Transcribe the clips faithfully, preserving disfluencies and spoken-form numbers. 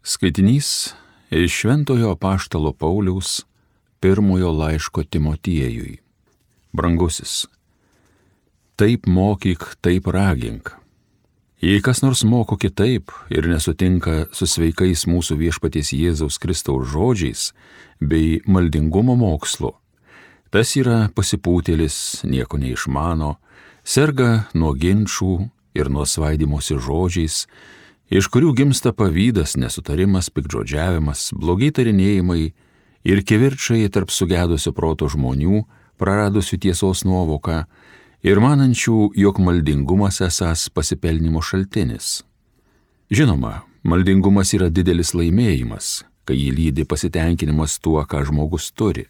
Skaitinys iš Šventojo apaštalo Pauliaus pirmojo laiško Timotiejui. Brangusis, taip mokyk, taip ragink. Jei kas nors moko kitaip ir nesutinka su sveikais mūsų viešpaties Jėzaus Kristaus žodžiais bei maldingumo mokslu, tas yra pasipūtėlis, nieko neišmano, serga nuo ginčų ir nuo svaidimosi žodžiais, iš kurių gimsta pavydas, nesutarimas, piktžodžiavimas, blogi tarinėjimai ir kivirčai tarp sugedusio proto žmonių, praradusių tiesos nuovoką ir manančių, jog maldingumas esąs pasipelnimo šaltinis. Žinoma, maldingumas yra didelis laimėjimas, kai jį lydi pasitenkinimas tuo, ką žmogus turi.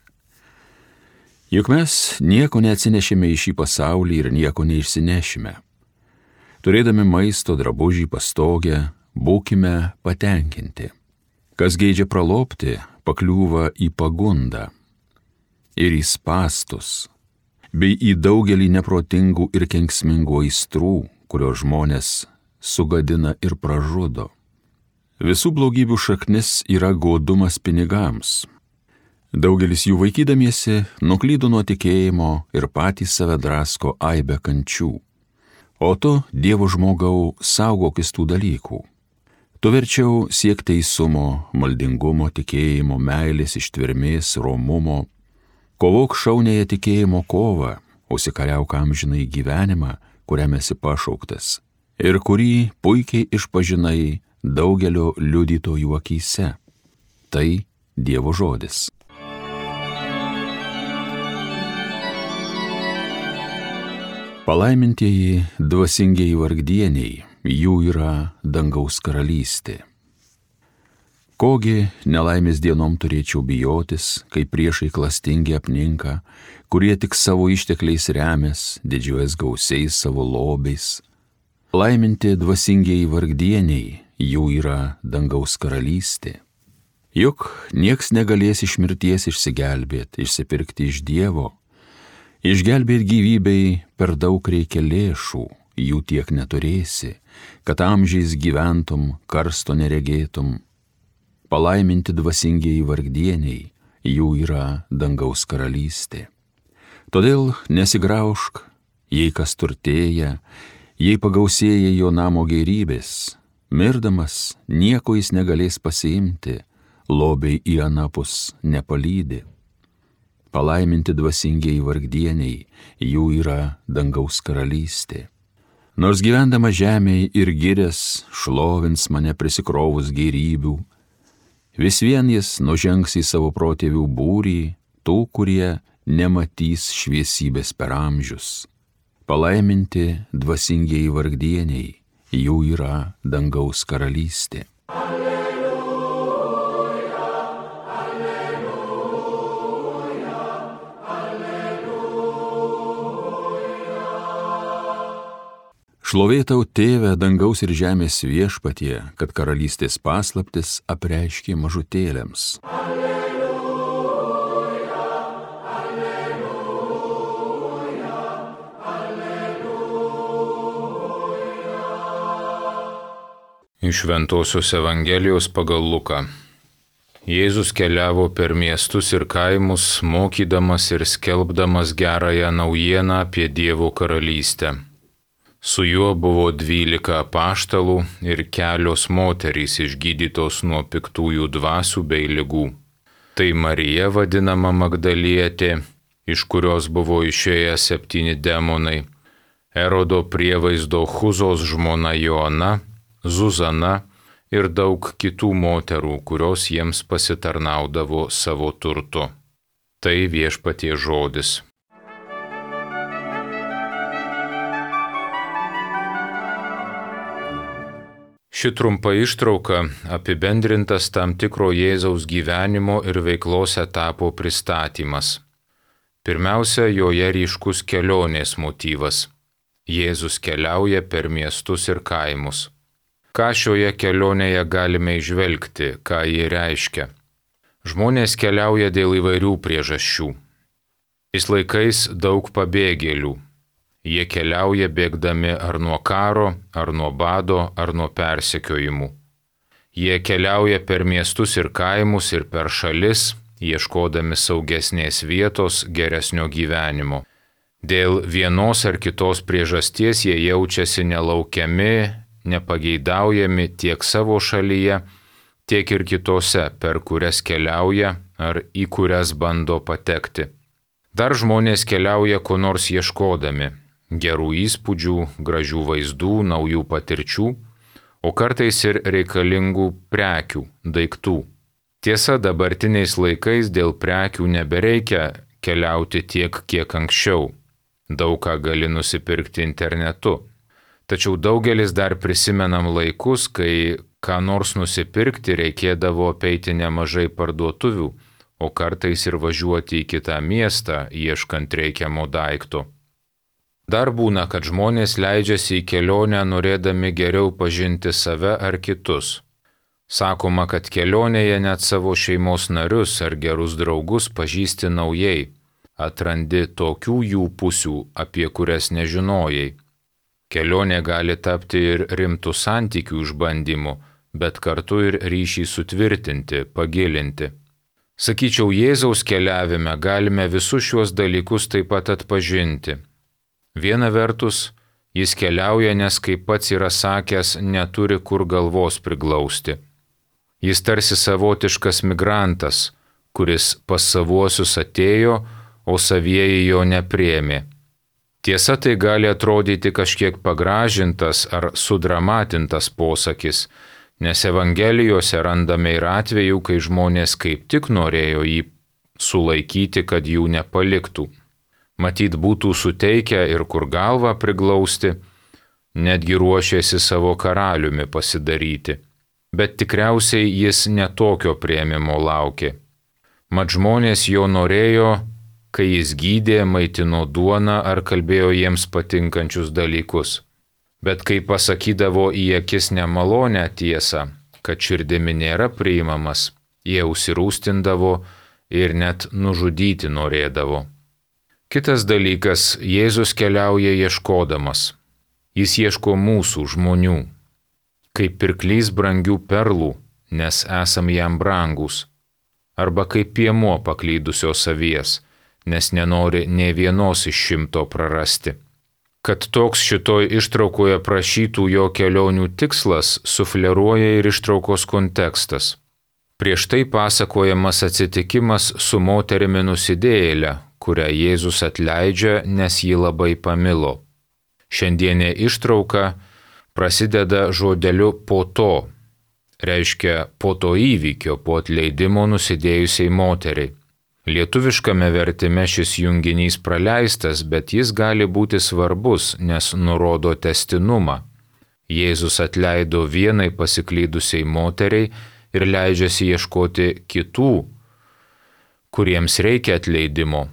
Juk mes nieko neatsinešime į šį pasaulį ir nieko neišsinešime. Turėdami maisto, drabužį, pastogę, būkime patenkinti. Kas geidžia pralopti, pakliūva į pagundą ir į spąstus, bei į daugelį neprotingų ir kenksmingų aistrų, kurios žmonės sugadina ir pražudo. Visų blogybių šaknis yra godumas pinigams. Daugelis jų vaikydamiesi nuklydo nuo tikėjimo ir patys save drasko aibę kančių. O tu, Dievo žmogau, saugokis tų dalykų. Tu verčiau siek teisumo, maldingumo, tikėjimo, meilės, ištvermės, romumo. Kovok šauniąją tikėjimo kovą, užsikariauk amžinai gyvenimą, kuriam esi pašauktas, ir kurį puikiai išpažinai daugelio liudytojų akyse. Tai Dievo žodis. Palaimintieji dvasingieji vargdieniai, jų yra dangaus karalystė. Kogi nelaimės dienom turėčiau bijotis, kai priešai klastingi apninka, kurie tik savo ištekliais remės, didžiuojas gausiais savo lobiais. Laiminti dvasingieji vargdieniai, jų yra dangaus karalystė. Juk nieks negalės iš mirties išsigelbėti, išsipirkti iš Dievo. Išgelbėt gyvybei per daug reikia lėšų, jų tiek neturėsi, kad amžiais gyventum, karsto neregėtum. Palaiminti dvasingieji vargdieniai, jų yra dangaus karalystė. Todėl nesigraužk, jei kas turtėja, jei pagausėja jo namo gėrybės, mirdamas nieko jis negalės pasiimti, lobiai į anapus nepalydi. Palaiminti dvasingieji vargdieniai, jų yra dangaus karalystė. Nors gyvendama žemėje ir girės šlovins mane prisikrovus gėrybių, vis vien jis nužengs į savo protėvių būrį, tų, kurie nematys šviesybės per amžius. Palaiminti dvasingieji vargdieniai, jų yra dangaus karalystė. Šlovė tau, Tėve, dangaus ir žemės viešpatie, kad karalystės paslaptis apreiškė mažutėliams. Alleluja, alleluja, alleluja. Iš Šventosios Evangelijos pagal Luką. Jėzus keliavo per miestus ir kaimus, mokydamas ir skelbdamas gerąją naujieną apie Dievo karalystę. Su juo buvo dvylika apaštalų ir kelios moterys išgydytos nuo piktųjų dvasių bei ligų. Tai Marija vadinama Magdalietė, iš kurios buvo išėję septyni demonai, Erodo prievaizdo Chuzos žmona Joana, Zuzana ir daug kitų moterų, kurios jiems pasitarnaudavo savo turtu. Tai viešpaties žodis. Ši trumpa ištrauka apibendrintas tam tikro Jėzaus gyvenimo ir veiklos etapo pristatymas. Pirmiausia, joje ryškus kelionės motyvas. Jėzus keliauja per miestus ir kaimus. Ką šioje kelionėje galime įžvelgti, ką ji reiškia? Žmonės keliauja dėl įvairių priežasčių. Šiais laikais daug pabėgėlių. Jie keliauja bėgdami ar nuo karo, ar nuo bado, ar nuo persekiojimų. Jie keliauja per miestus ir kaimus ir per šalis, ieškodami saugesnės vietos, geresnio gyvenimo. Dėl vienos ar kitos priežasties jie jaučiasi nelaukiami, nepageidaujami tiek savo šalyje, tiek ir kitose, per kurias keliauja ar į kurias bando patekti. Dar žmonės keliauja ko nors ieškodami – gerų įspūdžių, gražių vaizdų, naujų patirčių, o kartais ir reikalingų prekių, daiktų. Tiesa, dabartiniais laikais dėl prekių nebereikia keliauti tiek, kiek anksčiau. Daug ką gali nusipirkti internetu. Tačiau daugelis dar prisimenam laikus, kai ką nors nusipirkti reikėdavo apeiti nemažai parduotuvių, o kartais ir važiuoti į kitą miestą, ieškant reikiamo daikto. Dar būna, kad žmonės leidžiasi į kelionę norėdami geriau pažinti save ar kitus. Sakoma, kad kelionėje net savo šeimos narius ar gerus draugus pažįsti naujai, atrandi tokių jų pusių, apie kurias nežinojai. Kelionė gali tapti ir rimtų santykių išbandymu, bet kartu ir ryšį sutvirtinti, pagilinti. Sakyčiau, Jėzaus keliavime galime visus šiuos dalykus taip pat atpažinti. Viena vertus, jis keliauja, nes kaip pats yra sakęs, neturi kur galvos priglausti. Jis tarsi savotiškas migrantas, kuris pas savuosius atėjo, o savieji jo nepriėmė. Tiesa, tai gali atrodyti kažkiek pagražintas ar sudramatintas posakis, nes Evangelijose randame ir atvejų, kai žmonės kaip tik norėjo jį sulaikyti, kad jų nepaliktų. Matyt, būtų suteikę ir kur galvą priglausti, netgi ruošėsi savo karaliumi pasidaryti. Bet tikriausiai jis netokio priėmimo laukė. Mat žmonės jo norėjo, kai jis gydė, maitino duoną ar kalbėjo jiems patinkančius dalykus. Bet kai pasakydavo į akis nemalonę tiesą, kad širdimi nėra priimamas, jie užsirūstindavo ir net nužudyti norėdavo. Kitas dalykas, Jėzus keliauja ieškodamas. Jis ieško mūsų žmonių, kaip pirklys brangių perlų, nes esam jam brangus, arba kaip piemuo paklydusios avies, nes nenori nė vienos iš šimto prarasti. Kad toks šitoj ištraukoje prašytų jo kelionių tikslas, sufleruoja ir ištraukos kontekstas. Prieš tai pasakojamas atsitikimas su moterimi nusidėjėle, kurią Jėzus atleidžia, nes jį labai pamilo. Šiandienė ištrauka prasideda žodeliu po to, reiškia po to įvykio, po atleidimo nusidėjusiai moteriai. Lietuviškame vertime šis junginys praleistas, bet jis gali būti svarbus, nes nurodo testinumą. Jėzus atleido vienai pasiklydusiai moteriai ir leidžiasi ieškoti kitų, kuriems reikia atleidimo.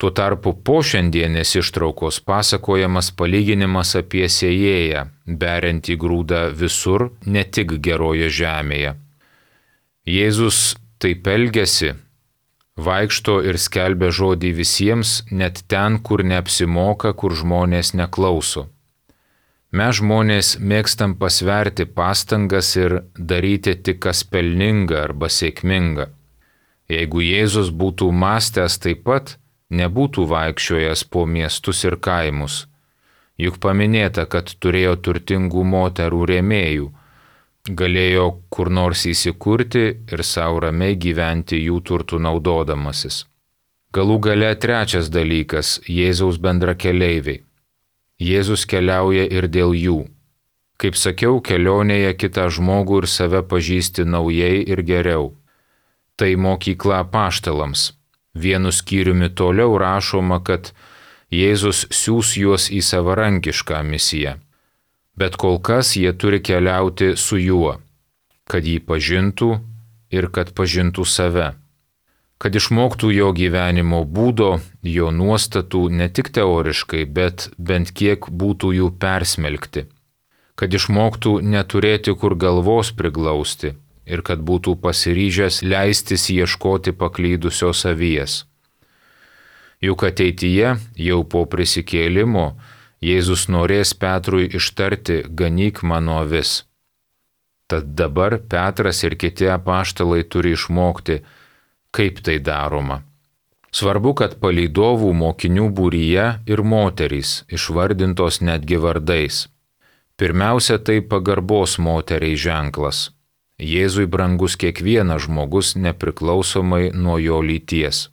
Tuo tarpu po šiandienės ištraukos pasakojamas palyginimas apie sėjėją, beriantį grūdą visur, ne tik geroje žemėje. Jėzus taip elgiasi, vaikšto ir skelbia žodį visiems, net ten, kur neapsimoka, kur žmonės neklauso. Mes žmonės mėgstam pasverti pastangas ir daryti tik kas pelninga arba sėkminga. Jeigu Jėzus būtų mąstęs taip pat, nebūtų vaikščiojęs po miestus ir kaimus. Juk paminėta, kad turėjo turtingų moterų rėmėjų, galėjo kur nors įsikurti ir savo ramiai gyventi jų turtų naudodamasis. Galų gale trečias dalykas – Jėzaus bendrakeleiviai. Jėzus keliauja ir dėl jų. Kaip sakiau, kelionėje kitą žmogų ir save pažįsti naujai ir geriau. Tai mokykla apaštalams. Vienu skyriumi toliau rašoma, kad Jėzus siųs juos į savarankišką misiją. Bet kol kas jie turi keliauti su juo, kad jį pažintų ir kad pažintų save. Kad išmoktų jo gyvenimo būdo, jo nuostatų ne tik teoriškai, bet bent kiek būtų jų persmelkti. Kad išmoktų neturėti kur galvos priglausti ir kad būtų pasiryžęs leistis ieškoti paklydusios avies. Juk ateityje, jau po prisikėlimo, Jėzus norės Petrui ištarti: ganyk mano avis. Tad dabar Petras ir kiti apaštalai turi išmokti, kaip tai daroma. Svarbu, kad palydovų mokinių būryje ir moterys išvardintos netgi vardais. Pirmiausia, tai pagarbos moteriai ženklas. Jėzui brangus kiekvienas žmogus nepriklausomai nuo jo lyties.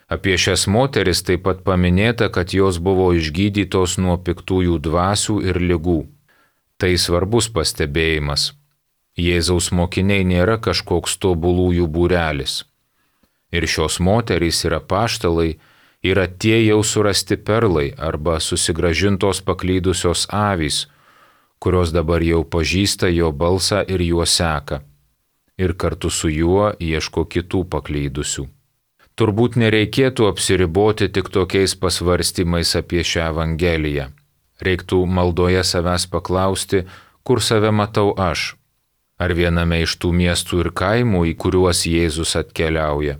Apie šias moteris taip pat paminėta, kad jos buvo išgydytos nuo piktųjų dvasių ir ligų. Tai svarbus pastebėjimas. Jėzaus mokiniai nėra kažkoks tobulųjų būrelis. Ir šios moterys ir apaštalai yra tie jau surasti perlai arba susigrąžintos paklydusios avys, kurios dabar jau pažįsta jo balsą ir juo seka, ir kartu su juo ieško kitų paklydusių. Turbūt nereikėtų apsiriboti tik tokiais pasvarstymais apie šią Evangeliją. Reiktų maldoje savęs paklausti, kur save matau aš, ar viename iš tų miestų ir kaimų, į kuriuos Jėzus atkeliauja.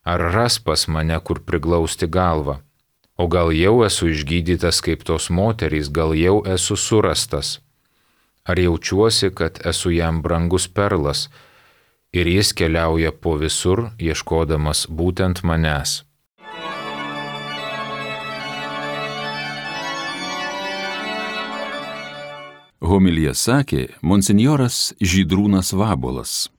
Ar ras pas mane, kur priglausti galvą? O gal jau esu išgydytas kaip tos moterys, gal jau esu surastas? Ar jaučiuosi, kad esu jam brangus perlas ir jis keliauja po visur, ieškodamas būtent manęs? Homiliją sakė monsinjoras Žydrūnas Vabuolas.